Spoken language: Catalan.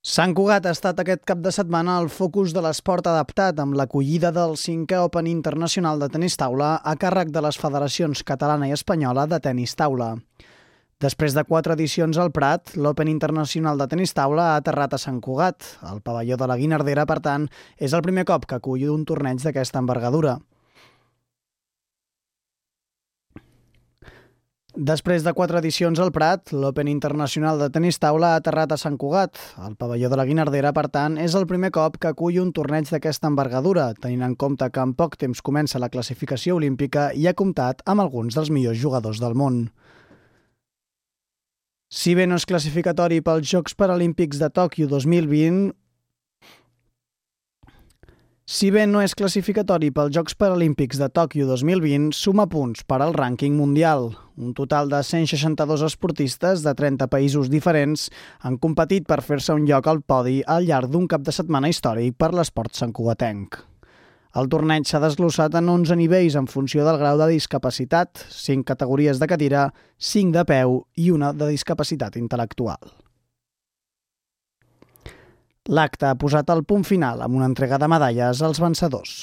Sant Cugat ha estat aquest cap de setmana el focus de l'esport adaptat amb l'acollida del 5è Open Internacional de Tenis Taula a càrrec de les federacions catalana i espanyola de tenis taula. Després de 4 edicions al Prat, l'Open Internacional de Tenis Taula ha aterrat a Sant Cugat. El pavelló de la Guinardera, per tant, és el primer cop que acull un torneig d'aquesta envergadura. Després de 4 edicions al Prat, l'Open Internacional de Tenis Taula ha aterrat a Sant Cugat. El pavelló de la Guinardera, per tant, és el primer cop que acull un torneig d'aquesta envergadura, tenint en compte que en poc temps comença la classificació olímpica i ha comptat amb alguns dels millors jugadors del món. Si bé no és classificatori pels Jocs Paralímpics de Tòquio 2020, suma punts per al rànquing mundial. Un total de 162 esportistes de 30 països diferents han competit per fer-se un lloc al podi al llarg d'un cap de setmana històric per l'esport santcugatenc. El torneig s'ha desglossat en 11 nivells en funció del grau de discapacitat, 5 categories de cadira, 5 de peu i una de discapacitat intel·lectual. L'acte ha posat el punt final amb una entrega de medalles als vencedors.